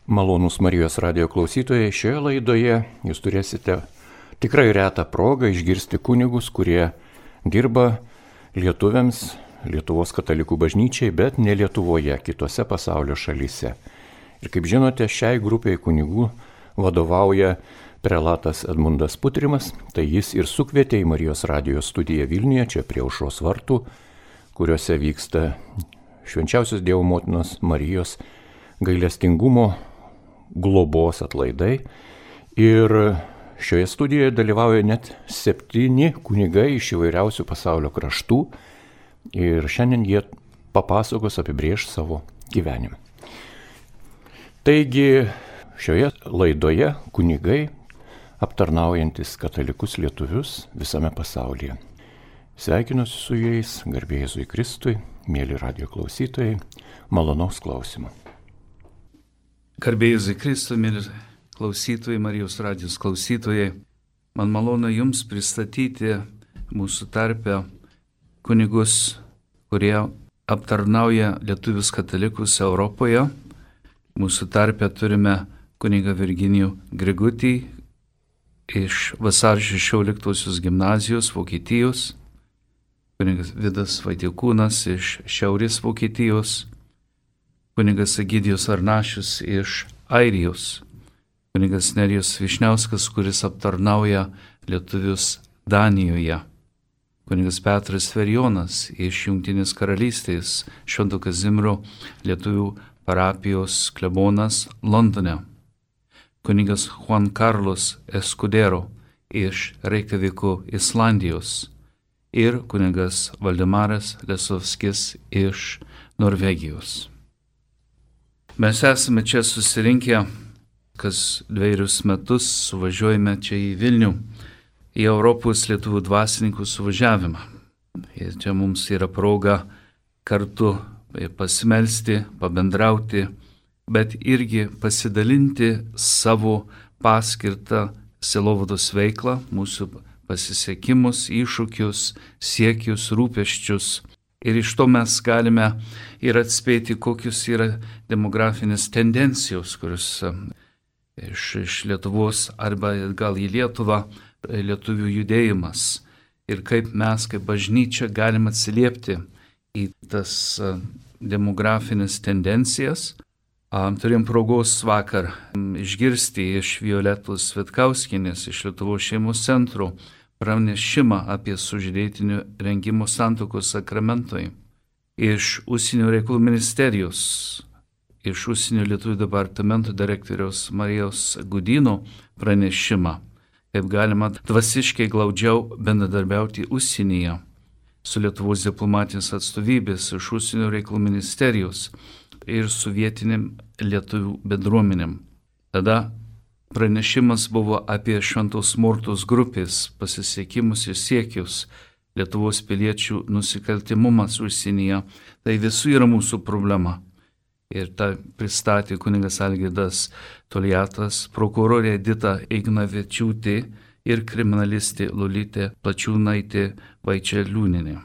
Malonūs Marijos radijo klausytojai, šioje laidoje jūs turėsite tikrai retą progą išgirsti kunigus, kurie dirba lietuviams, Lietuvos katalikų bažnyčiai, bet ne Lietuvoje, kitose pasaulio šalyse. Ir kaip žinote, šiai grupiai kunigų vadovauja prelatas Edmundas Putrimas, tai jis ir sukvietė į Marijos radijo studiją Vilniuje, čia prie Aušros vartų, kuriuose vyksta Švenčiausios Dievo motinos Marijos gailestingumo globos atlaidai. Ir šioje studijoje dalyvauja net 7 kunigai iš įvairiausių pasaulio kraštų ir šiandien jie papasakos apibrėž savo gyvenimą. Taigi šioje laidoje kunigai aptarnaujantis katalikus lietuvius visame pasaulyje. Sveikinuosi su jais, garbė Jėzui Kristui, mėly radijo klausytojai, malonaus klausimo. Garbė Jėzui Kristui, mėly klausytojai, Marijos radijos klausytojai, man malonu Jums pristatyti mūsų tarpe kunigus, kurie aptarnauja lietuvius katalikus Europoje. Mūsų tarpe turime kunigą Virginijų Grigutį iš Vasario 16 gimnazijos Vokietijos, kunigas Vidas Vaitiekūnas iš Šiaurės Vokietijos, kunigas Egidijus Arnašius iš Airijos, kunigas Nerijus Višniauskas, kuris aptarnauja lietuvius Danijoje, kunigas Petras Ferjonas iš Jungtinės karalystės, Švento Kazimiero lietuvių parapijos klebonas Londone, kunigas Juan Carlos Escudero iš Reikjaviko, Islandijos ir kunigas Valdemaras Lesovskis iš Norvegijos. Mes esame čia susirinkę, kas 2 metus suvažiuojame čia į Vilnių, į Europos lietuvių dvasininkų suvažiavimą. Ir čia mums yra proga kartu pasimelsti, pabendrauti, bet irgi pasidalinti savo paskirtą sielovados veiklą, mūsų pasisekimus, iššūkius, siekius, rūpesčius. Ir iš to mes galime ir atspėti, kokius yra demografinės tendencijos, kurios iš Lietuvos arba gal į Lietuvą lietuvių judėjimas. Ir kaip mes, kaip bažnyčia, galime atsiliepti į tas demografinės tendencijas. Turėjom progos vakar išgirsti iš Violetos Vitkauskienės iš Lietuvos šeimos centro pranešimą apie sužadėtinių rengimo santuokos sakramentui. Iš Užsienio reikalų ministerijos, iš Užsienio lietuvių departamento direktoriaus Marijos Gudyno pranešimą, kaip galima dvasiškai glaudžiau bendradarbiauti užsienyje su Lietuvos diplomatinės atstovybės, iš Užsienio reikalų ministerijos ir su vietinėm lietuvių bendruomenėm. Tada pranešimas buvo apie Šventos Mortos grupės pasisiekimus ir siekius, Lietuvos piliečių nusikaltimumas užsienyje. Tai visų yra mūsų problema. Ir tą pristatė kunigas Algirdas Toliatas, prokurorė Edita Ignavičiūtė ir kriminalistė Lolytė Plačiūnaitė Vaičeliūnienė.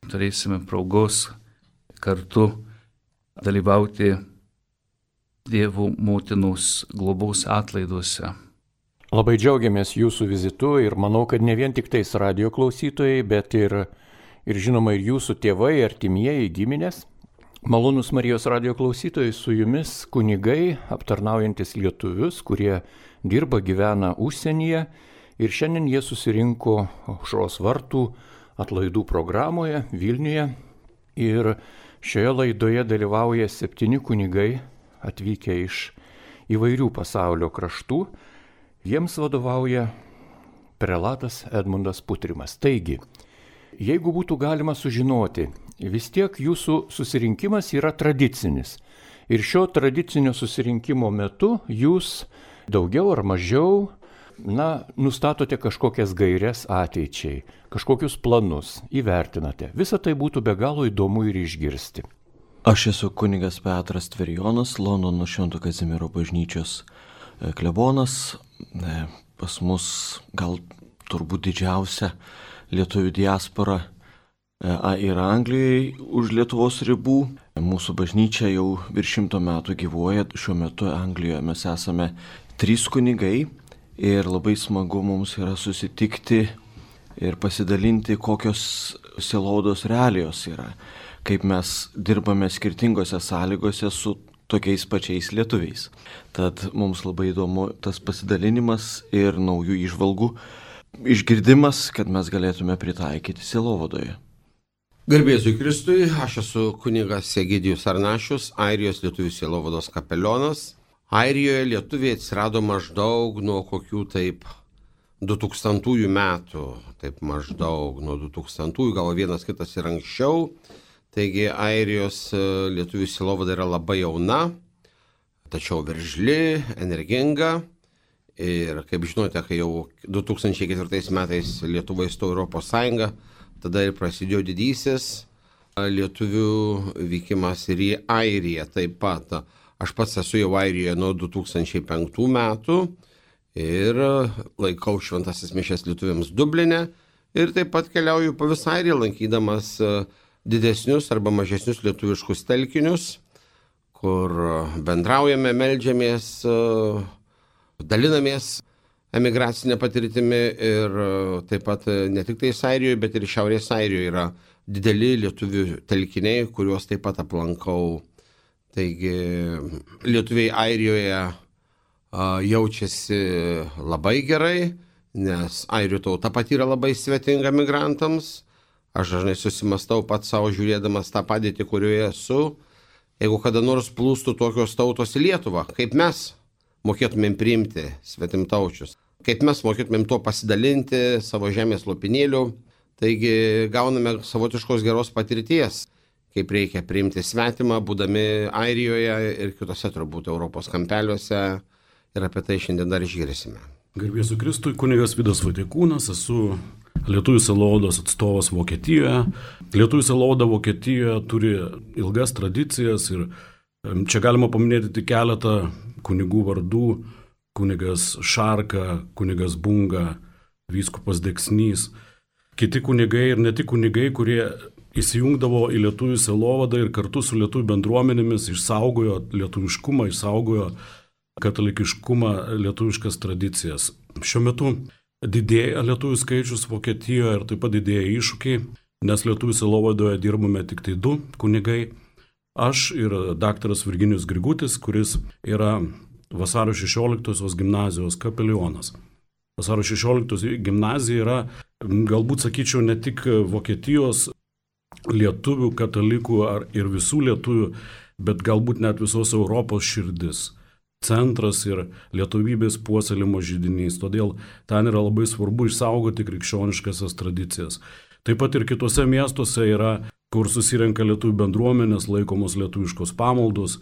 Turėsime progos kartu dalyvauti Dievo motinos globos atlaiduose. Labai džiaugiamės jūsų vizitu ir manau, kad ne vien tik tais radijo klausytojai, bet ir žinoma ir jūsų tėvai, artimieji, giminės. Malonūs Marijos radijo klausytojai, su jumis kunigai aptarnaujantis lietuvius, kurie dirba, gyvena užsienyje ir šiandien jie susirinko Aušros vartų atlaidų programoje Vilniuje ir šioje laidoje dalyvauja 7 kunigai atvykę iš įvairių pasaulio kraštų. Jiems vadovauja prelatas Edmundas Putrimas. Taigi, jeigu būtų galima sužinoti, vis tiek jūsų susirinkimas yra tradicinis. Ir šio tradicinio susirinkimo metu jūs daugiau ar mažiau, nustatote kažkokias gaires ateičiai, kažkokius planus, įvertinate. Visą tai būtų be galo įdomu ir išgirsti. Aš esu kunigas Petras Ferjonas, Londono Švento Kazimiero bažnyčios klebonas. Pas mus gal turbūt didžiausia lietuvių diaspora ir Anglijoje už Lietuvos ribų. Mūsų bažnyčia jau virš 100 metų gyvuoja. Šiuo metu Anglijoje mes esame 3 kunigai ir labai smagu mums yra susitikti ir pasidalinti, kokios sielovados realijos yra, kaip mes dirbame skirtingose sąlygose su tokiais pačiais lietuviais. Tad mums labai įdomu tas pasidalinimas ir naujų įžvalgų išgirdimas, kad mes galėtume pritaikyti sielovadoje. Garbėsiu Kristui, aš esu kunigas Egidijus Arnašius, Airijos lietuvių sielovados kapelionas. Airijoje lietuviai atsirado maždaug nuo kokių taip 2000 metų, taip maždaug nuo 2000, gal vienas kitas ir anksčiau. Taigi Airijos lietuvių sielovada yra labai jauna, tačiau veržli, energinga. Ir kaip žinote, kai jau 2004 metais Lietuva įstojo Europos Sąjungą, tada ir prasidėjo didysis lietuvių vykimas ir į Airiją taip pat. Aš pats esu jau Airijoje nuo 2005 metų. Ir laikau šventasis mišias lietuviams Dubline ir taip pat keliauju po visą Airiją, lankydamas didesnius arba mažesnius lietuviškus telkinius, kur bendraujame, meldžiamės, dalinamės emigracinę patirtimi ir taip pat ne tik tai Airijoje, bet ir Šiaurės Airijoje yra dideli lietuvių telkiniai, kuriuos taip pat aplankau. Taigi lietuviai Airijoje jaučiasi labai gerai, nes airių tauta pati yra labai svetinga migrantams. Aš dažnai susimastau pats savo žiūrėdamas tą padėtį, kurioje esu. Jeigu kada nors plūstų tokios tautos į Lietuvą, kaip mes mokėtumėm priimti svetimtaučius, kaip mes mokėtumėm tuo pasidalinti savo žemės lopinėlių. Taigi gauname savotiškos geros patirties, kaip reikia priimti svetimą, būdami Airijoje ir kitose turbūt Europos kampeliuose. Ir apie tai šiandien dar išgirsime. Garbėsiu Kristui, kunigas Vidas Vaitiekūnas, esu lietuvių sielovados atstovas Vokietijoje. Lietuvių sielovada Vokietijoje turi ilgas tradicijas ir čia galima paminėti tik keletą kunigų vardų. Kunigas Šarka, kunigas Bunga, vyskupas Deksnys. Kiti kunigai ir ne tik kunigai, kurie įsijungdavo į lietuvių sielovadą ir kartu su lietuvių bendruomenėmis išsaugojo lietuviškumą, išsaugojo katalikiškumą, lietuviškas tradicijas. Šiuo metu didėja lietuvių skaičius Vokietijoje ir taip pat didėja iššūkiai, nes lietuvių sielovadoje dirbame tik tai 2 kunigai. Aš ir daktaras Virginijus Grigutis, kuris yra Vasario 16 gimnazijos kapelionas. Vasario 16 gimnazija yra, galbūt sakyčiau, ne tik Vokietijos lietuvių, katalikų ir visų lietuvių, bet galbūt net visos Europos širdis. Centras ir lietuvybės puoselėjimo židinys. Todėl ten yra labai svarbu išsaugoti krikščioniškasias tradicijas. Taip pat ir kitose miestuose yra, kur susirenka lietuvių bendruomenės, laikomos lietuviškos pamaldos,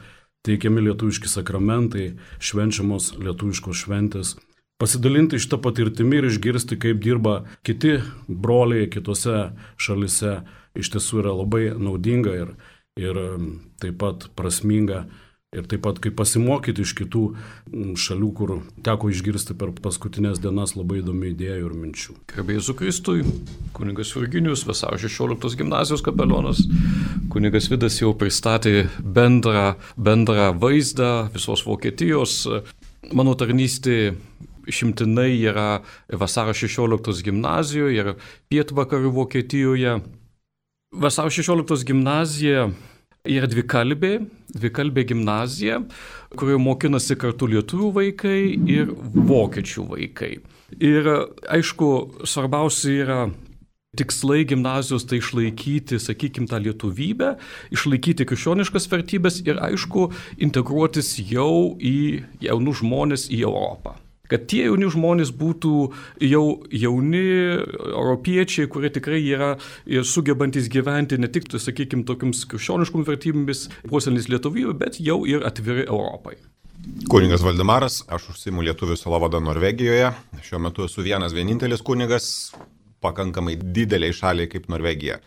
teikiami lietuviški sakramentai, švenčiamos lietuviškos šventės. Pasidalinti šitą patirtimį ir išgirsti, kaip dirba kiti broliai kitose šalise, iš tiesų yra labai naudinga ir taip pat prasminga. Ir taip pat kaip pasimokyti iš kitų šalių, kur teko išgirsti per paskutinės dienas labai įdomių idėjų ir minčių. Garbėsiu Kristui, kunigas Virginijus, Vasario 16 gimnazijos kapelionas. Kunigas Vidas jau pristatė bendrą vaizdą visos Vokietijos. Mano tarnystė išimtinai yra Vasario 16 gimnazijoje ir pietvakarių Vokietijoje. Vasario 16 gimnazija yra dvikalbė gimnazija, kurioje mokinasi kartu lietuvių vaikai ir vokiečių vaikai. Ir aišku, svarbiausia yra tikslai gimnazijos tai išlaikyti, sakykime, tą lietuvybę, išlaikyti krikščioniškas vertybės ir aišku, integruotis jau į jaunus žmonės į Europą. Kad tie jauni žmonės būtų jau jauni europiečiai, kurie tikrai yra sugebantis gyventi ne tik, sakykime, tokiams krikščioniškom vertybėmis, puoselėtis lietuvybę, bet jau ir atviri Europai. Kunigas Valdemaras, aš užsiimu lietuvių sielovadą Norvegijoje. Šiuo metu esu vienintelis kunigas, pakankamai dideliai šaliai kaip Norvegija.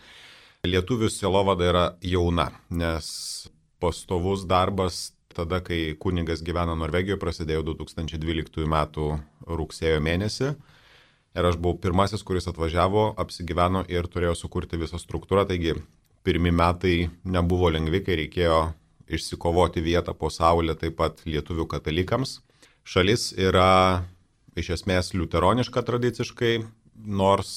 Lietuvių sielovada yra jauna, nes pastovus darbas tada, kai kunigas gyvena Norvegijoje, prasidėjo 2012 metų rugsėjo mėnesį. Ir aš buvau pirmasis, kuris atvažiavo, apsigyveno ir turėjo sukurti visą struktūrą. Taigi pirmi metai nebuvo lengvi, kai reikėjo išsikovoti vietą po saulę taip pat lietuvių katalikams. Šalis yra iš esmės liuteroniška tradiciškai, nors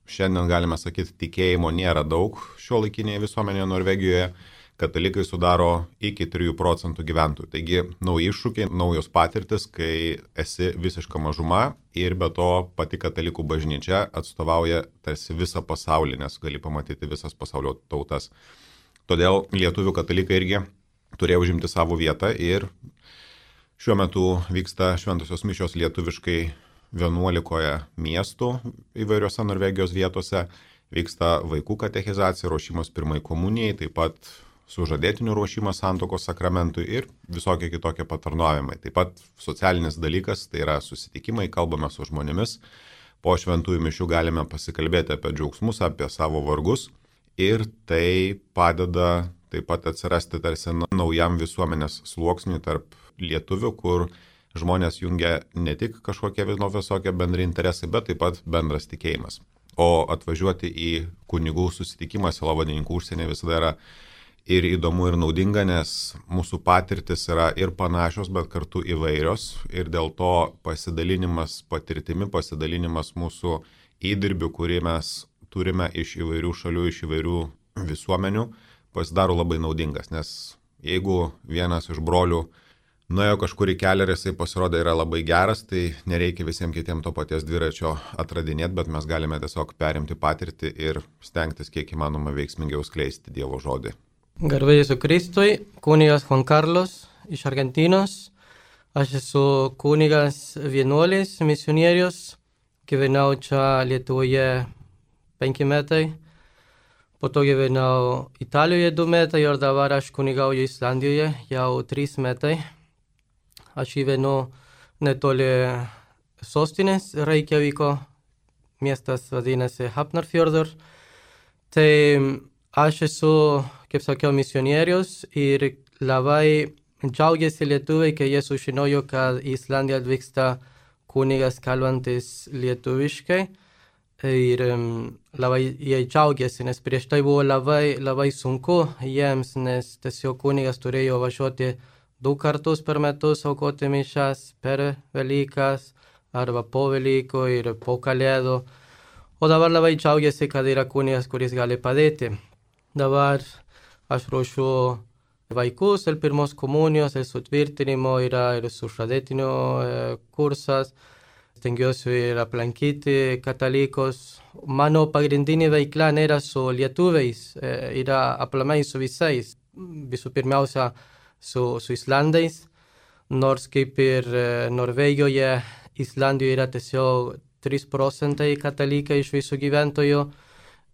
šiandien galime sakyti, tikėjimo nėra daug šiuolaikinėje visuomenėje Norvegijoje. Katalikai sudaro iki 3% gyventojų. Taigi nauji iššūkiai, naujos patirtis, kai esi visiška mažuma ir be to pati katalikų bažnyčia atstovauja tarsi visą pasaulį, nes gali pamatyti visas pasaulio tautas. Todėl lietuvių katalikai irgi turėjo užimti savo vietą ir šiuo metu vyksta šventosios mišios lietuviškai 11 miestų įvairiose Norvegijos vietose. Vyksta vaikų katechizacija, ruošimas pirmai komunijai, taip pat sužadėtinių ruošimas santuokos sakramentui ir visokie kitokie patarnavimai. Taip pat socialinis dalykas, tai yra susitikimai, kalbame su žmonėmis. Po šventųjų mišių galime pasikalbėti apie džiaugsmus, apie savo vargus ir tai padeda taip pat atsirasti tarsi naujam visuomenės sluoksniui tarp lietuvių, kur žmonės jungia ne tik kažkokie visokie bendri interesai, bet taip pat bendras tikėjimas. O atvažiuoti į kunigų susitikimą sielovadininkų užsienyje visada yra ir įdomu, ir naudinga, nes mūsų patirtis yra ir panašios, bet kartu įvairios. Ir dėl to pasidalinimas patirtimi, pasidalinimas mūsų įdirbių, kurį mes turime iš įvairių šalių, iš įvairių visuomenių, pasidaro labai naudingas. Nes jeigu vienas iš brolių nuėjo kažkur į kelią ir jisai pasirodė yra labai geras, tai nereikia visiems kitiems to paties dviračio atradinėti, bet mes galime tiesiog perimti patirtį ir stengtis kiek įmanoma veiksmingiau skleisti Dievo žodį. Garbė Jėzui Kristui, kunigas Juan Carlos iš Argentinos. Aš esu kunigas vienuolis, misionierius. Gyvenau čia Lietuvoje 5 metai. Po to gyvenau Italijoje 2 metai ir dabar aš kunigauju Islandijoje jau 3 metai. Aš gyvenu netoli sostinės Reykjaviko, miestas vadinasi Hafnarfjörður. Tai aš esu, kaip sakiau, misionierius ir labai džiaugiasi lietuviai, kai jie sužinojo, kad į Islandiją atvyksta kunigas kalbantis lietuviškai. Ir labai jie džiaugiasi, nes prieš tai buvo labai sunku jiems, nes tiesiog kunigas turėjo važiuoti 2 kartus per metus aukoti mišias per Velykas arba po Velykų ir po Kalėdų. O dabar labai džiaugiasi, kad yra kunigas, kuris gali padėti. Dabar aš ruošiu vaikus, el pirmos komunijos, el sutvirtinimo, yra ir sužadėtinių kursas. Stengiuosi ir aplankyti katalikus. Mano pagrindinė veikla nėra su lietuviais, yra aplamai su visais. Visų pirmiausia, su Islandais, nors kaip ir Norvegijoje, Islandijoje yra tiesiog 3% katalikai iš visų gyventojų.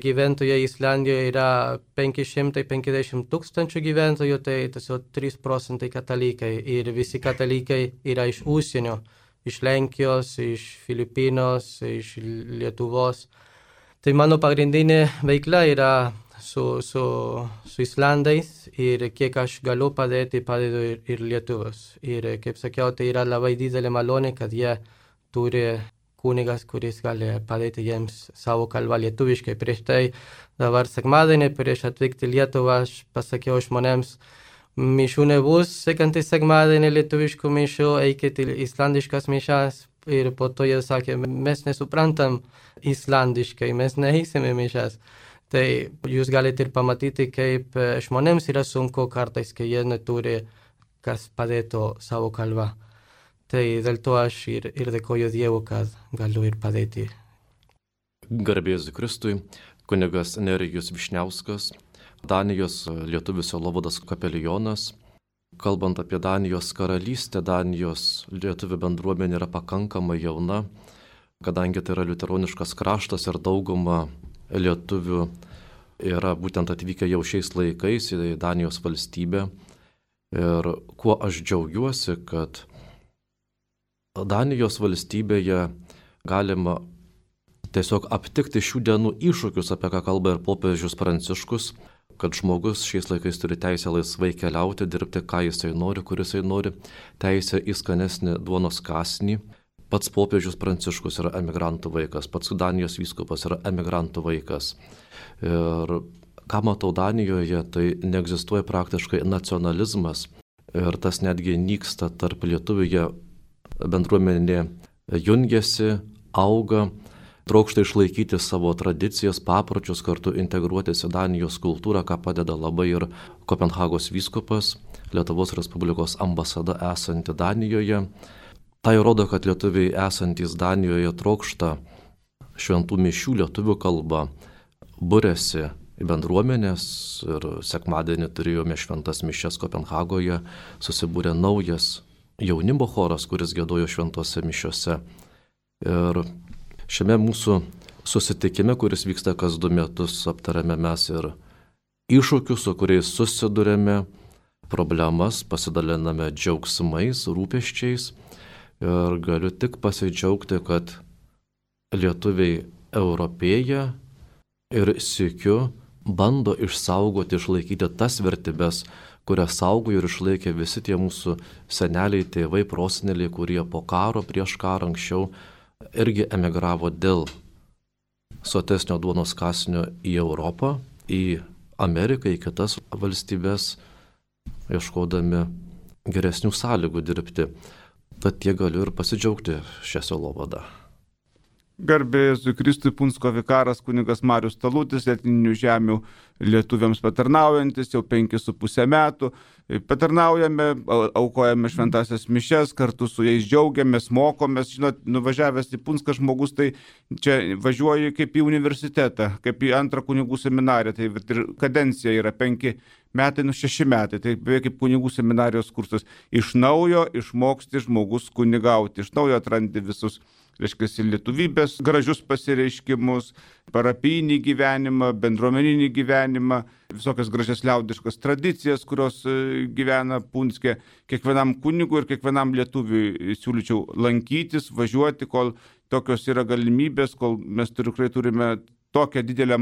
Gyventojai Islandijoje yra 550 tūkstančių gyventojų, tai tiesiog 3% katalikai. Ir visi katalikai yra iš užsienio, iš Lenkijos, iš Filipinos, iš Lietuvos. Tai mano pagrindinė veikla yra su Islandais ir kiek aš galiu padėti, padedu ir lietuvius. Ir kaip sakiau, tai yra labai didelė malonė, kad jie turi kunigas, kuris gali padėti jiems savo kalbą lietuviškai. Prieš tai dabar sekmadienį, prieš atvykti į Lietuvą, aš pasakiau žmonėms, mišių nebus sekantį sekmadienį lietuviškų mišių, eikite į islandiškas mišas. Ir po to jie sakė, mes nesuprantam islandiškai, mes neįsime mišas. Tai jūs galite ir pamatyti, kaip žmonėms yra sunku kartais, kai jie neturi kas padėtų savo kalbą. Tai dėl to aš ir dėkoju Dievu, kad galiu ir padėti. Garbė Jėzui Kristui, kunigas Nerijus Višniauskas, Danijos lietuvių sielovados kapelionas. Kalbant apie Danijos karalystę, Danijos lietuvių bendruomenė yra pakankamai jauna, kadangi tai yra liuteroniškas kraštas ir dauguma lietuvių yra būtent atvykę jau šiais laikais į Danijos valstybę. Ir kuo aš džiaugiuosi, kad Danijos valstybėje galima tiesiog aptikti šių dienų iššūkius, apie ką kalba ir popiežius Pranciškus, kad žmogus šiais laikais turi teisę laisvai keliauti, dirbti, ką jisai nori, kur jisai nori, teisę į skanesnį duonos kąsnį. Pats popiežius Pranciškus yra emigrantų vaikas, pats Danijos vyskupas yra emigrantų vaikas. Ir ką matau Danijoje, tai neegzistuoja praktiškai nacionalizmas ir tas netgi nyksta tarp lietuvių, bendruomenė jungiasi, auga, trokšta išlaikyti savo tradicijas, papročius, kartu integruotis į Danijos kultūrą, ką padeda labai ir Kopenhagos vyskupas, Lietuvos Respublikos ambasada esanti Danijoje. Tai rodo, kad lietuviai esantys Danijoje trokšta šventų mišių lietuvių kalba, būrėsi į bendruomenės ir sekmadienį turėjome šventas mišias Kopenhagoje, susibūrė naujas jaunimo choras, kuris giedojo šventose mišiose. Ir šiame mūsų susitikime, kuris vyksta kas 2 metus, aptarėme mes ir iššūkius, su kuriais susidurėme, problemas, pasidaliname džiaugsmais, rūpesčiais. Ir galiu tik pasidžiaugti, kad lietuviai europėja ir sykiu bando išsaugoti, išlaikyti tas vertybės, kurias saugojo ir išlaikė visi tie mūsų seneliai, tėvai, proseneliai, kurie po karo, prieš karą anksčiau irgi emigravo dėl sotesnio duonos kąsnio į Europą, į Ameriką, į kitas valstybės, ieškodami geresnių sąlygų dirbti. Tad tiek galiu ir pasidžiaugti šią sielovadą. Garbė Jėzui Kristui, Punsko vikaras kunigas Marius Talutis, etninių žemių lietuviams patarnaujantis jau 5,5 metų. Patarnaujame, aukojame šventasias mišias, kartu su jais džiaugiamės, mokomės. Žinot, nuvažiavęs į Punską žmogus, tai čia važiuoji kaip į universitetą, kaip į antrą kunigų seminariją. Tai ir kadencija yra 5 metai, 6 metai. Tai beveik kaip kunigų seminarijos kursas. Iš naujo išmoksti žmogus kunigauti, iš naujo atrandi visus, reiškia, lietuvybės gražius pasireiškimus, parapijinį gyvenimą, bendruomeninį gyvenimą, visokias gražias liaudiškas tradicijas, kurios gyvena Punske. Kiekvienam kunigui ir kiekvienam lietuviui siūlyčiau lankytis, važiuoti, kol tokios yra galimybės, kol mes tikrai turime tokią didelę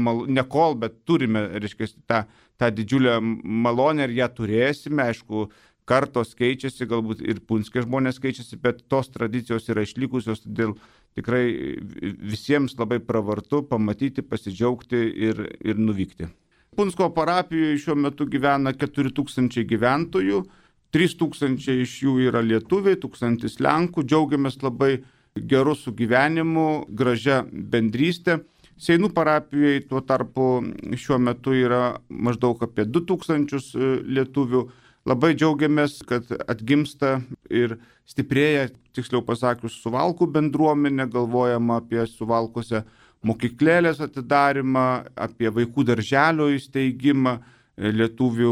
bet turime, reiškia, tą didžiulę malonę ir ją turėsime, aišku, kartos keičiasi, galbūt ir Punske žmonės keičiasi, bet tos tradicijos yra išlikusios, todėl tikrai visiems labai pravartu pamatyti, pasidžiaugti ir nuvykti. Punsko parapijoje šiuo metu gyvena 4,000 gyventojų, 3,000 iš jų yra lietuviai, 1,000 lenkų, džiaugiamės labai geru sugyvenimu, gražia bendrystė. Seinų parapijoje tuo tarpu šiuo metu yra maždaug apie 2,000 lietuvių. Labai džiaugiamės, kad atgimsta ir stiprėja, tiksliau pasakius, Suvalkų bendruomenė, galvojama apie Suvalkose mokyklėlės atidarimą, apie vaikų darželio įsteigimą, lietuvių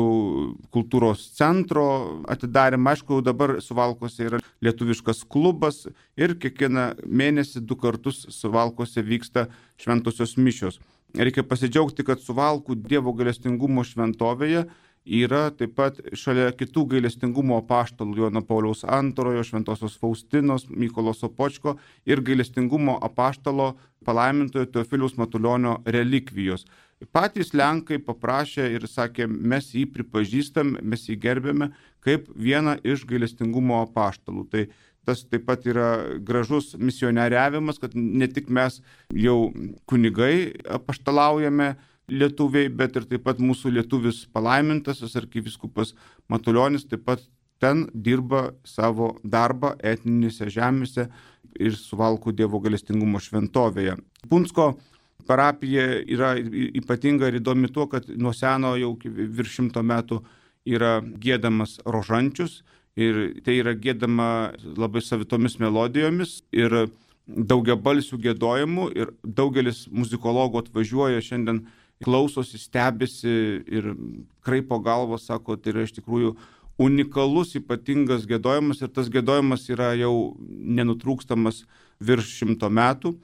kultūros centro atidarimą. Aišku, dabar Suvalkose yra lietuviškas klubas ir kiekvieną mėnesį 2 kartus Suvalkose vyksta šventosios mišios. Reikia pasidžiaugti, kad Suvalkų Dievo gailestingumo šventovėje yra taip pat šalia kitų gailestingumo apaštalų Jono Pauliaus II, Šventosios Faustinos, Mykolo Sopočko ir gailestingumo apaštalo palaimintojo Teofiliaus Matulionio relikvijos. Patys lenkai paprašė ir sakė, mes jį pripažįstam, mes jį gerbėme kaip vieną iš gailestingumo apaštalų. Tai tas taip pat yra gražus misionieriavimas, kad ne tik mes jau kunigai apaštalaujame lietuviai, bet ir taip pat mūsų lietuvis palaimintasis arkivyskupas Matulionis taip pat ten dirba savo darbą etninėse žemėse ir Suvalkų Dievo gailestingumo šventovėje. Punsko parapija yra ypatinga ir įdomi tuo, kad nuo seno jau virš 100 metų yra giedamas rožančius ir tai yra giedama labai savitomis melodijomis ir daugiabalsių giedojimų ir daugelis muzikologų atvažiuoja šiandien, klausosi, stebisi ir kraipo galvą, sako, tai yra iš tikrųjų unikalus, ypatingas giedojimas ir tas giedojimas yra jau nenutrūkstamas virš 100 metų.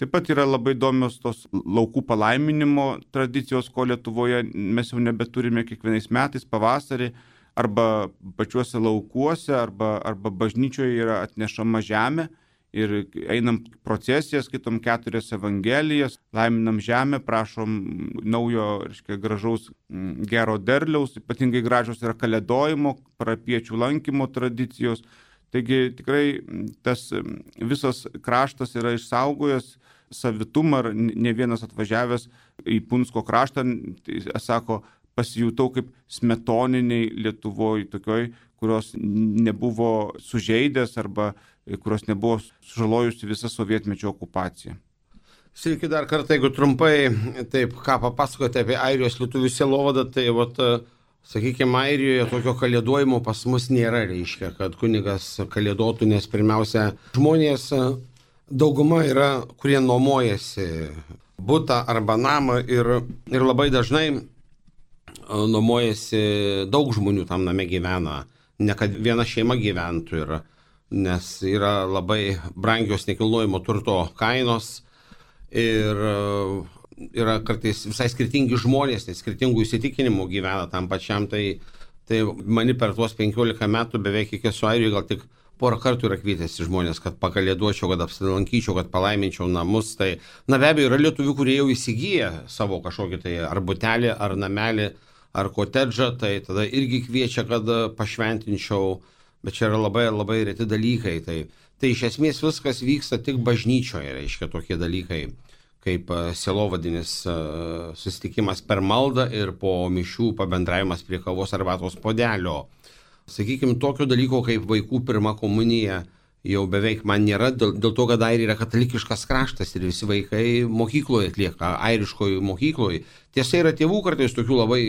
Taip pat yra labai įdomios tos laukų palaiminimo tradicijos, ko Lietuvoje mes jau nebeturime kiekvienais metais pavasarį, arba pačiuose laukuose, arba bažnyčioje yra atnešama žemė ir einam procesijas, skaitom 4 evangelijas, laiminam žemę, prašom naujo, reiškia, gražaus gero derliaus, ypatingai gražios yra kalėdojimo, parapiečių lankymo tradicijos. Taigi tikrai tas visas kraštas yra išsaugojęs savitumą ir ne vienas atvažiavęs į Punsko kraštą, sako, pasijutau kaip smetoniniai Lietuvoje tokioj, kurios nebuvo sužeidęs arba kurios nebuvo sužalojusi visą sovietmečio okupaciją. Sveiki dar kartą, jeigu trumpai, taip, ką papasakote apie Airijos lietuvių sielovadą, tai sakykime, Airijoje tokio kalėdojimo pas mus nėra, reiškia, kad kunigas kalėdotų, nes pirmiausia, žmonės dauguma yra, kurie nuomojasi butą arba namą ir labai dažnai nuomojasi daug žmonių tam name gyvena, ne kad viena šeima gyventų, nes yra labai brangios nekilnojamo turto kainos ir yra kartais visai skirtingi žmonės, nes skirtingų įsitikinimų gyvena tam pačiam, tai mani per tuos 15 metų beveik iki esu Airijoje gal tik porą kartų yra kvietęs žmonės, kad pakalėduočiau, kad apsilankyčiau, kad palaiminčiau namus. Tai, be abejo, yra lietuvių, kurie jau įsigyja savo kažkokį tai ar butelį, ar namelį, ar kotedžą, tai tada irgi kviečia, kad pašventinčiau, bet čia yra labai, labai reti dalykai. Tai iš esmės viskas vyksta tik bažnyčioje, reiškia tokie dalykai, kaip sielovadinis susitikimas per maldą ir po mišių pabendravimas prie kavos arbatos puodelio. Sakykime, tokio dalyko kaip vaikų pirma komunija jau beveik man nėra, dėl to, kad Airija yra katalikiškas kraštas ir visi vaikai mokykloje atlieka, airiškoje mokykloje. Tiesa, yra tėvų kartais tokių labai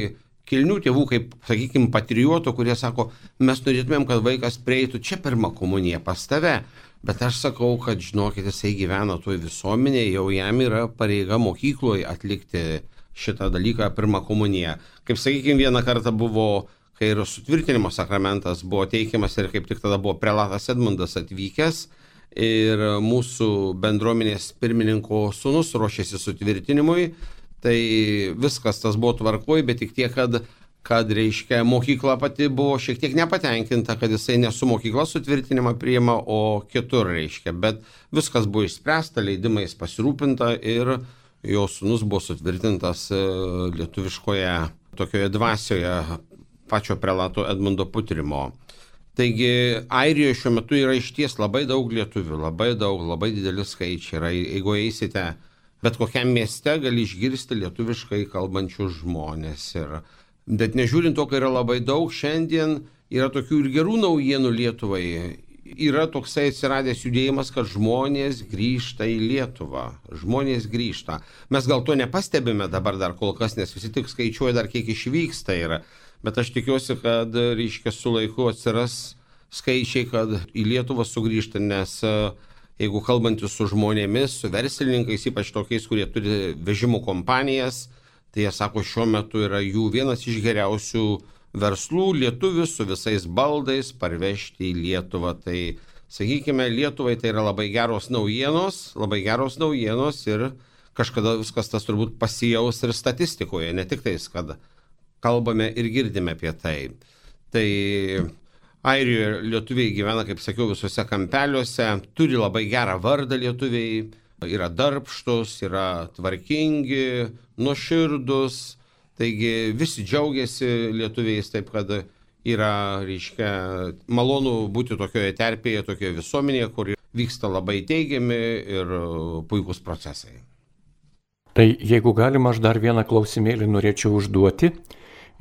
kilnių tėvų, kaip, sakykime, patriotų, kurie sako, mes norėtumėm, kad vaikas prieitų čia pirma komunija pas tave. Bet aš sakau, kad žinokit, jisai gyvena toje visuomenėje, jau jam yra pareiga mokykloje atlikti šitą dalyką pirmą komuniją. Kaip sakykime, vieną kartą buvo, kai ir sutvirtinimo sakramentas buvo teikiamas ir kaip tik tada buvo prelatas Edmundas atvykęs ir mūsų bendruomenės pirmininko sūnus ruošėsi sutvirtinimui, tai viskas tas buvo tvarkoj, bet tik tiek, kad reiškia, mokykla pati buvo šiek tiek nepatenkinta, kad jisai ne su mokykla sutvirtinimą priima, o kitur, reiškia. Bet viskas buvo išspręsta, leidimais pasirūpinta ir jo sūnus buvo sutvirtintas lietuviškoje tokioje dvasioje pačio prelato Edmundo Putrimo. Taigi Airijoje šiuo metu yra išties labai daug lietuvių, labai daug, labai dideli skaičiai. Ir jeigu eisite bet kokiam mieste, gali išgirsti lietuviškai kalbančius žmonės. Bet nežiūrint to, kai yra labai daug, šiandien yra tokių ir gerų naujienų Lietuvai. Yra toksai atsiradęs judėjimas, kad žmonės grįžta į Lietuvą. Žmonės grįžta. Mes gal to nepastebime dabar dar kol kas, nes visi tik skaičiuoja dar kiek išvyksta yra. Bet aš tikiuosi, kad, reiškia, su laiku atsiras skaičiai, kad į Lietuvą sugrįžta, nes jeigu kalbantis su žmonėmis, su verslininkais, ypač tokiais, kurie turi vežimų kompanijas, tai jie sako, šiuo metu yra jų vienas iš geriausių verslų lietuvius su visais baldais parvežti į Lietuvą. Tai, sakykime, Lietuvai tai yra labai geros naujienos ir kažkada viskas tas turbūt pasijaus ir statistikoje, ne tik tais, kad kalbame ir girdime apie tai. Tai Airijoje lietuviai gyvena, kaip sakiau, visuose kampeliuose, turi labai gerą vardą lietuviai, yra darbštus, yra tvarkingi, nuoširdus, taigi visi džiaugiasi lietuviais, taip kad yra, reiškia, malonu būti tokioje terpėje, tokioje visuomenėje, kur vyksta labai teigiami ir puikūs procesai. Tai jeigu galima, aš dar vieną klausimėlį norėčiau užduoti.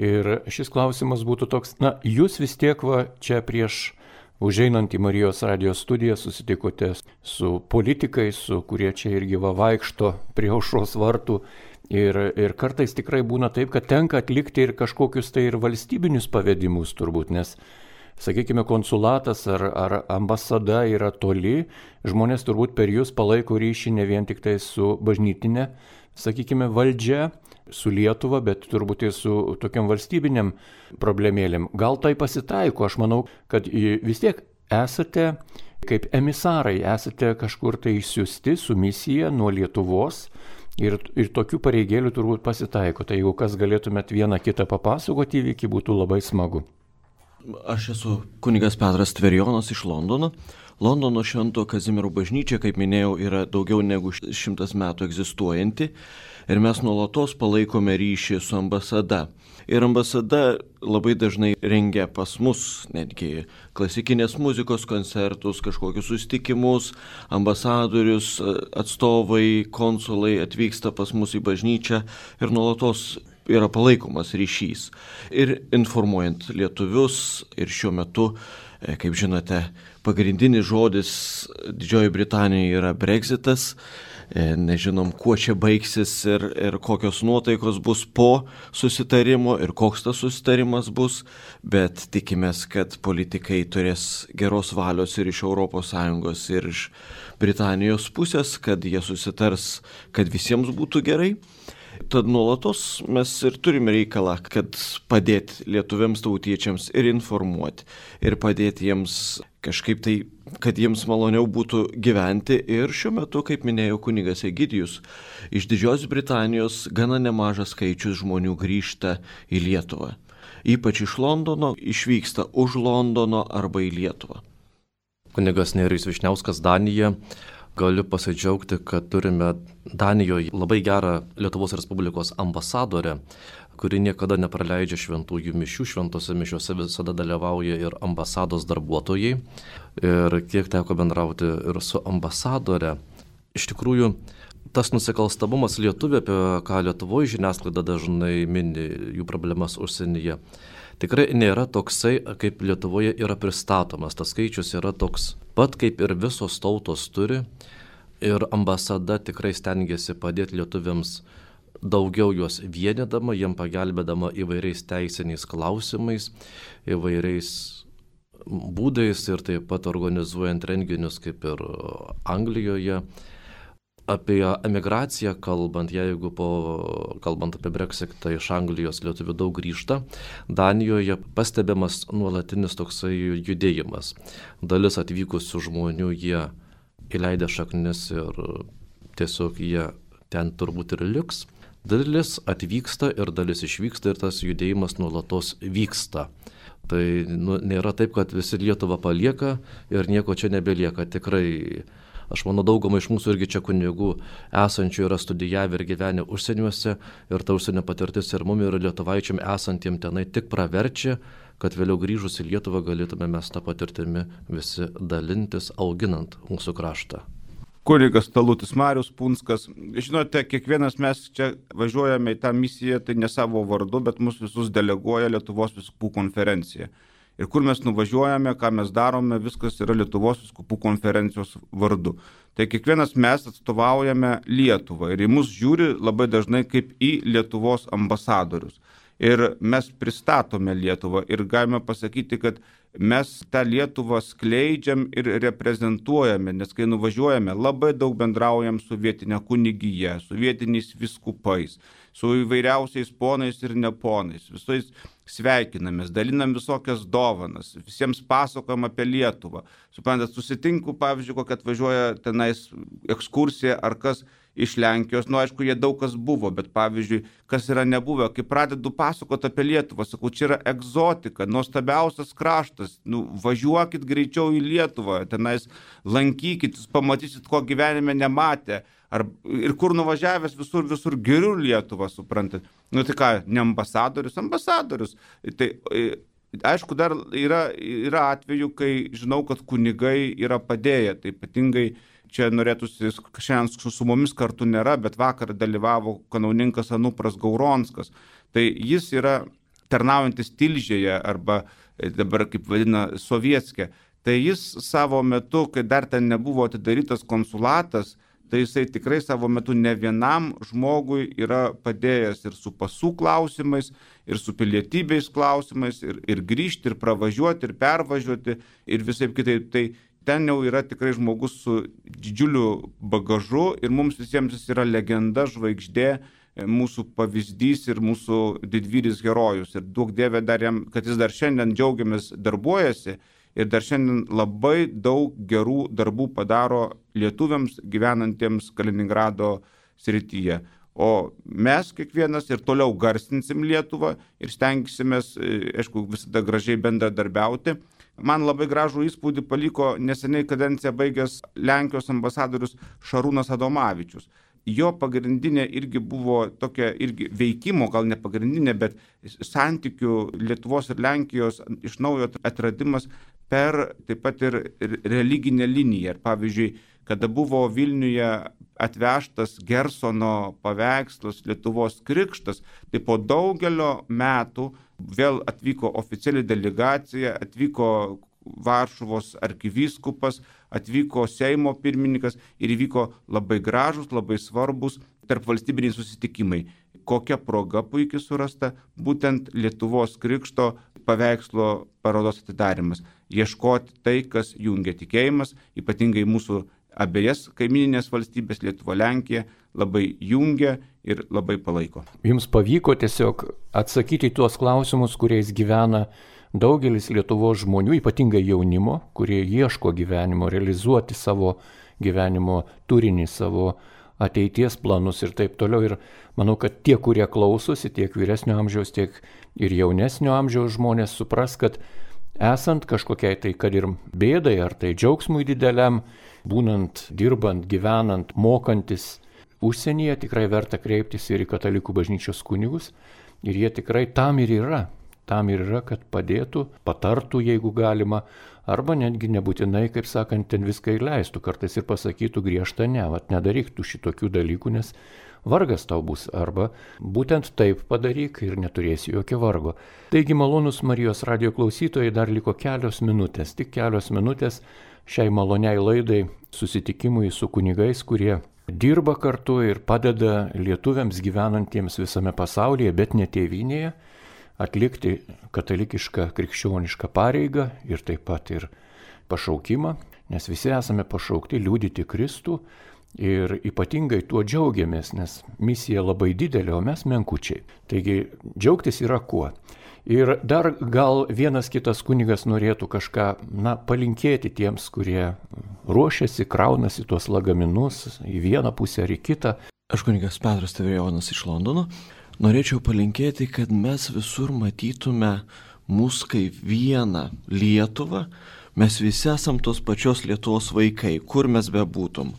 Ir šis klausimas būtų toks, jūs vis tiek čia prieš užeinant į Marijos radijos studiją susitikote su politikais, kurie čia irgi vaikšto prie aušros vartų. Ir kartais tikrai būna taip, kad tenka atlikti ir kažkokius tai ir valstybinius pavedimus turbūt, nes, sakykime, konsulatas ar ambasada yra toli, žmonės turbūt per jūs palaiko ryšį ne vien tik tai su bažnytinė, sakykime, valdžia, su Lietuva, bet turbūt ir su tokiam valstybiniam problemėlėm. Gal tai pasitaiko, aš manau, kad vis tiek esate kaip emisarai, esate kažkur tai išsiųsti su misija nuo Lietuvos ir tokių pareigėlių turbūt pasitaiko. Tai jeigu kas galėtumėt vieną kitą papasakoti įvykį, būtų labai smagu. Aš esu kunigas Petras Tverijonas iš Londono. Londono Švento Kazimiero bažnyčia, kaip minėjau, yra daugiau negu 100 metų egzistuojanti ir mes nuolatos palaikome ryšį su ambasada. Ir ambasada labai dažnai rengia pas mus netgi klasikinės muzikos koncertus, kažkokius susitikimus, ambasadorius, atstovai, konsulai atvyksta pas mus į bažnyčią ir nuolatos yra palaikomas ryšys. Ir informuojant lietuvius, ir šiuo metu, kaip žinote, pagrindinis žodis Didžiojoje Britanijoje yra Brexitas. Nežinom, kuo čia baigsis ir kokios nuotaikos bus po susitarimo ir koks tas susitarimas bus, bet tikimės, kad politikai turės geros valios ir iš ES ir iš Britanijos pusės, kad jie susitars, kad visiems būtų gerai. Tad nuolatos mes ir turime reikalą, kad padėti lietuviams tautiečiams ir informuoti, ir padėti jiems kažkaip tai, kad jiems maloniau būtų gyventi. Ir šiuo metu, kaip minėjau, kunigas Egidijus, iš Didžiosios Britanijos gana nemažas skaičius žmonių grįžta į Lietuvą. Ypač iš Londono, išvyksta už Londono arba į Lietuvą. Kunigas Nerijus Vyšniauskas, Danija. Galiu pasidžiaugti, kad turime Danijoje labai gerą Lietuvos Respublikos ambasadorę, kuri niekada nepraleidžia šventųjų mišių, šventose mišiuose visada dalyvauja ir ambasados darbuotojai. Ir kiek teko bendrauti ir su ambasadore, iš tikrųjų tas nusikalstamumas Lietuvė, apie ką Lietuvoje žiniasklaida dažnai mini jų problemas užsienyje, tikrai nėra toksai, kaip Lietuvoje yra pristatomas. Tas skaičius yra toks pat, kaip ir visos tautos turi. Ir ambasada tikrai stengiasi padėti lietuviams daugiau juos vienydama, jiem pagelbėdama įvairiais teisiniais klausimais, įvairiais būdais ir taip pat organizuojant renginius kaip ir Anglijoje. Apie emigraciją kalbant, jeigu kalbant apie Brexitą iš Anglijos lietuvių daug grįžta, Danijoje pastebimas nuolatinis toksai judėjimas. Dalis atvykusių žmonių jie įleidę šaknis ir tiesiog jie ten turbūt ir liks. Dalis atvyksta ir dalis išvyksta ir tas judėjimas nuolatos vyksta. Tai nėra taip, kad visi Lietuvą palieka ir nieko čia nebelieka. Tikrai, aš manau, dauguma iš mūsų irgi čia kunigų esančių yra studijavę ir gyvenę užsieniuose ir ta užsienio patirtis ir mum ir lietuvaičiam esantiem tenai tik praverčia, kad vėliau grįžus į Lietuvą galėtume mes tą patirtimi visi dalintis, auginant mūsų kraštą. Kunigas Talutis Marius Punskas. Žinote, kiekvienas mes čia važiuojame į tą misiją, tai ne savo vardu, bet mus visus deleguoja Lietuvos vyskupų konferencija. Ir kur mes nuvažiuojame, ką mes darome, viskas yra Lietuvos vyskupų konferencijos vardu. Tai kiekvienas mes atstovaujame Lietuvą ir į mus žiūri labai dažnai kaip į Lietuvos ambasadorius. Ir mes pristatome Lietuvą ir galime pasakyti, kad mes tą Lietuvą skleidžiam ir reprezentuojame, nes kai nuvažiuojame, labai daug bendraujam su vietinė kunigija, su vietiniais vyskupais, su įvairiausiais ponais ir neponais, visais sveikinamės, dalinam visokias dovanas, visiems pasakojam apie Lietuvą. Suprantat, susitinku, pavyzdžiui, kokia atvažiuoja tenais ekskursija ar kas iš Lenkijos, aišku, jie daug kas buvo, bet pavyzdžiui, kas yra nebuvę, kai pradedu pasakoti apie Lietuvą, sakau, čia yra egzotika, nuostabiausias kraštas, važiuokit greičiau į Lietuvą, tenais lankykit, pamatysit, ko gyvenime nematė, ir kur nuvažiavęs visur geriu Lietuvą, suprantat. Tai ką, ne ambasadorius? Tai aišku, dar yra atveju, kai žinau, kad kunigai yra padėję, tai ypatingai čia norėtųsi, šiandien su mumis kartu nėra, bet vakar dalyvavo kanauninkas Anupras Gauronskas. Tai jis yra tarnaujantis Tilžėje arba dabar kaip vadina Sovietskė. Tai jis savo metu, kai dar ten nebuvo atidarytas konsulatas, tai jisai tikrai savo metu ne vienam žmogui yra padėjęs ir su pasų klausimais, ir su pilietybės klausimais, ir grįžti, ir pravažiuoti, ir pervažiuoti, ir visaip kitaip. Tai ten jau yra tikrai žmogus su didžiuliu bagažu ir mums visiems jis yra legenda, žvaigždė, mūsų pavyzdys ir mūsų didvyris herojus. Ir duok Dieve dar jam, kad jis dar šiandien džiaugiamės darbuojasi ir dar šiandien labai daug gerų darbų padaro lietuviams gyvenantiems Kaliningrado srityje. o mes kiekvienas ir toliau garsinsim Lietuvą ir stengsimės, aišku, visada gražiai bendradarbiauti. Man labai gražų įspūdį paliko neseniai kadenciją baigęs Lenkijos ambasadorius Šarūnas Adomavičius. Jo pagrindinė irgi buvo tokia irgi veikimo, gal ne pagrindinė, bet santykių Lietuvos ir Lenkijos iš naujo atradimas per taip pat ir religinę liniją. Ir pavyzdžiui, kada buvo Vilniuje atvežtas Gersono paveikslas Lietuvos krikštas, tai po daugelio metų vėl atvyko oficiali delegacija, atvyko Varšuvos arkivyskupas, atvyko Seimo pirmininkas ir įvyko labai gražus, labai svarbus tarpvalstybiniai susitikimai. Kokia proga puikiai surasta, būtent Lietuvos krikšto paveikslo parodos atidarimas. Ieškoti tai, kas jungia tikėjimas, ypatingai mūsų abejas kaimininės valstybės Lietuva, Lenkija, labai jungia ir labai palaiko. Jums pavyko tiesiog atsakyti tuos klausimus, kuriais gyvena daugelis Lietuvos žmonių, ypatingai jaunimo, kurie ieško gyvenimo, realizuoti savo gyvenimo turinį, savo ateities planus ir taip toliau. Ir manau, kad tie, kurie klausosi, tiek vyresnio amžiaus, tiek ir jaunesnio amžiaus žmonės supras, kad esant kažkokiai tai, kad ir bėdai, ar tai džiaugsmui dideliam, būnant, dirbant, gyvenant, mokantis užsienyje, tikrai verta kreiptis ir į katalikų bažnyčios kunigus. Ir jie tikrai tam ir yra. Tam ir yra, kad padėtų, patartų, jeigu galima, arba netgi nebūtinai, kaip sakant, ten viską įleistų, kartais ir pasakytų griežtą ne, nedaryk tu šitokių dalykų, nes vargas tau bus, arba būtent taip padaryk ir neturėsi jokio vargo. Taigi, malonus Marijos radijo klausytojai, dar liko kelios minutės, tik kelios minutės šiai maloniai laidai, susitikimui su kunigais, kurie dirba kartu ir padeda lietuviams gyvenantiems visame pasaulyje, bet ne tėvynėje, atlikti katalikišką krikščionišką pareigą ir taip pat ir pašaukimą, nes visi esame pašaukti liudyti Kristų ir ypatingai tuo džiaugiamės, nes misija labai didelė, o mes menkučiai. Taigi džiaugtis yra kuo. Ir dar gal vienas kitas kunigas norėtų kažką palinkėti tiems, kurie ruošiasi, kraunasi tuos lagaminus į vieną pusę ar į kitą. Aš kunigas Petras Tevrijonas iš Londono. Norėčiau palinkėti, kad mes visur matytume mus kaip vieną Lietuvą. Mes visi esam tos pačios Lietuvos vaikai, kur mes bebūtum.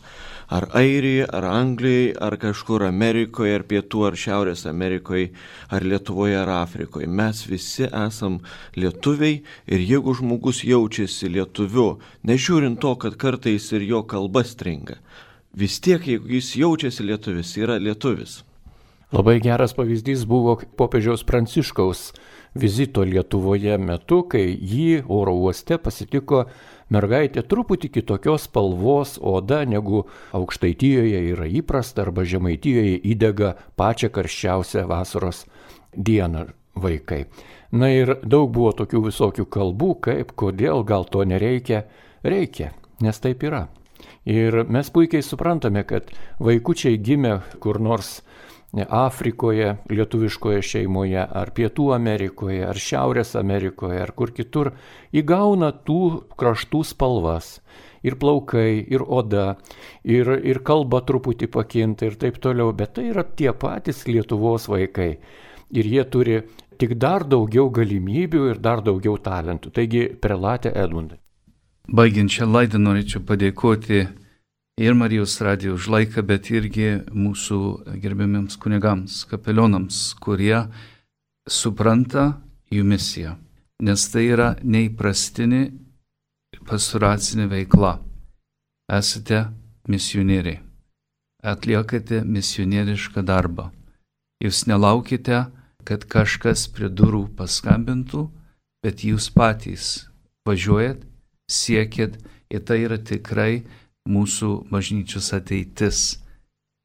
Ar Airijoje, ar Anglijoje, ar kažkur Amerikoje, ar Pietų, ar Šiaurės Amerikoje, ar Lietuvoje, ar Afrikoje. Mes visi esam lietuviai ir jeigu žmogus jaučiasi lietuviu, nežiūrint to, kad kartais ir jo kalba stringa, vis tiek, jeigu jis jaučiasi lietuvis, yra lietuvis. Labai geras pavyzdys buvo popiežiaus Pranciškaus vizito Lietuvoje metu, kai jį oro uoste pasitiko mergaitė truputį kitokios spalvos oda, negu Aukštaitijoje yra įprasta arba Žemaitijoje įdega pačią karščiausią vasaros dieną vaikai. Na ir daug buvo tokių visokių kalbų, kaip, kodėl, gal to nereikia. Reikia, nes taip yra. Ir mes puikiai suprantame, kad vaikučiai gimę kur nors Afrikoje, lietuviškoje šeimoje, ar Pietų Amerikoje, ar Šiaurės Amerikoje, ar kur kitur, įgauna tų kraštų spalvas. Ir plaukai, ir oda, ir kalba truputį pakinta ir taip toliau. Bet tai yra tie patys Lietuvos vaikai. Ir jie turi tik dar daugiau galimybių ir dar daugiau talentų. Taigi, prelatė Edmundai. Baigiant šią laidą norėčiau padėkoti ir Marijos radijo už laiką, bet irgi mūsų gerbiamiems kunigams, kapelionams, kurie supranta jų misiją. Nes tai yra neįprastinė pastoracinė veikla. Esate misionieriai. Atliekate misionierišką darbą. Jūs nelaukite, kad kažkas prie durų paskambintų, bet jūs patys važiuojat, siekit, ir tai yra tikrai mūsų bažnyčios ateitis.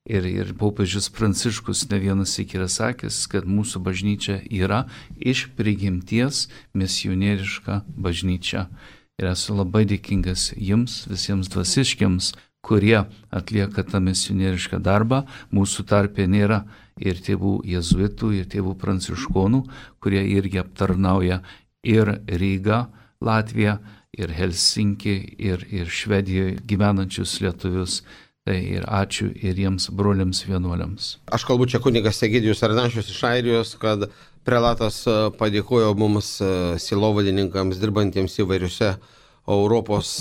Ir popiežius Pranciškus ne vienas syk yra sakęs, kad mūsų bažnyčia yra iš prigimties misionieriška bažnyčia. Ir esu labai dėkingas jums, visiems dvasiškiams, kurie atlieka tą misionierišką darbą. Mūsų tarpe nėra ir tėvų jezuitų, ir tėvų pranciškonų, kurie irgi aptarnauja ir Rygą, Latviją, ir Helsinkį, ir Švedijoje gyvenančius lietuvius. Tai ir ačiū ir jiems broliams vienuoliams. Aš kalbu čia kunigas Egidijus Arnašius iš Airijos, kad prelatas padėkojo mums sielovadininkams dirbantiems įvairiuose Europos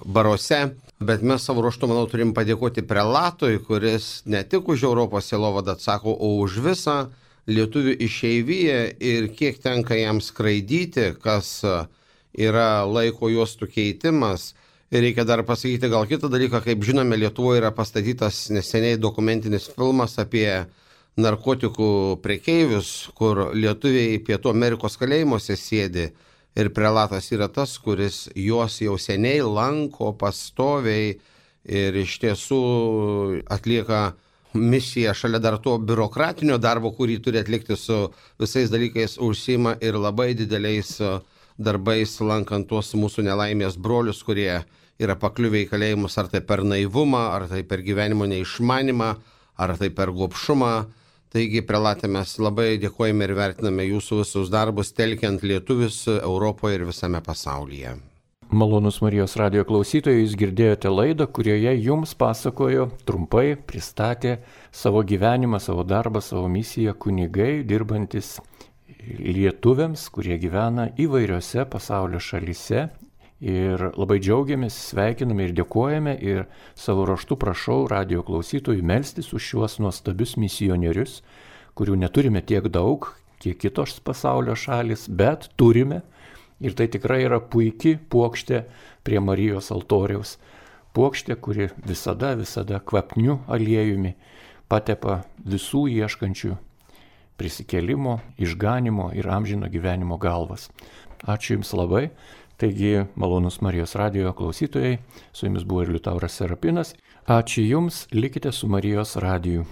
baruose, bet mes savo ruožtu, manau, turim padėkoti prelatui, kuris ne tik už Europos sielovadą atsako, o už visą lietuvių išeiviją ir kiek tenka jam skraidyti, kas yra laiko juostų keitimas. Ir reikia dar pasakyti gal kitą dalyką, kaip žinome, Lietuvoje yra pastatytas neseniai dokumentinis filmas apie narkotikų prekeivius, kur lietuviai Pietų Amerikos kalėjimuose sėdi ir prelatas yra tas, kuris juos jau seniai lanko pastoviai ir iš tiesų atlieka misiją šalia dar to biurokratinio darbo, kurį turi atlikti su visais dalykais, užsiima ir labai dideliais darbais lankant tuos mūsų nelaimės brolius, kurie yra pakliuvę į kalėjimus ar tai per naivumą, ar tai per gyvenimo neišmanimą, ar tai per gobšumą. Taigi, prelatė, mes labai dėkojame ir vertiname jūsų visus darbus, telkiant lietuvius Europoje ir visame pasaulyje. Malonus Marijos radijo klausytojai, jūs girdėjote laidą, kurioje jums pasakojo, trumpai pristatė savo gyvenimą, savo darbą, savo misiją kunigai, dirbantis lietuviams, kurie gyvena įvairiose pasaulio šalyse. Ir labai džiaugiamės, sveikiname ir dėkojame ir savo raštu prašau radijo klausytojų melstis už šiuos nuostabius misionierius, kurių neturime tiek daug, kiek kitos pasaulio šalis, bet turime. Ir tai tikrai yra puikiai puokštė prie Marijos altoriaus. Puokštė, kuri visada kvapniu aliejumi patepa visų ieškančių prisikėlimo, išganimo ir amžino gyvenimo galvas. Ačiū Jums labai. Taigi, malonus Marijos radijo klausytojai, su Jumis buvo ir Liutauras Serapinas. Ačiū Jums, likite su Marijos radiju.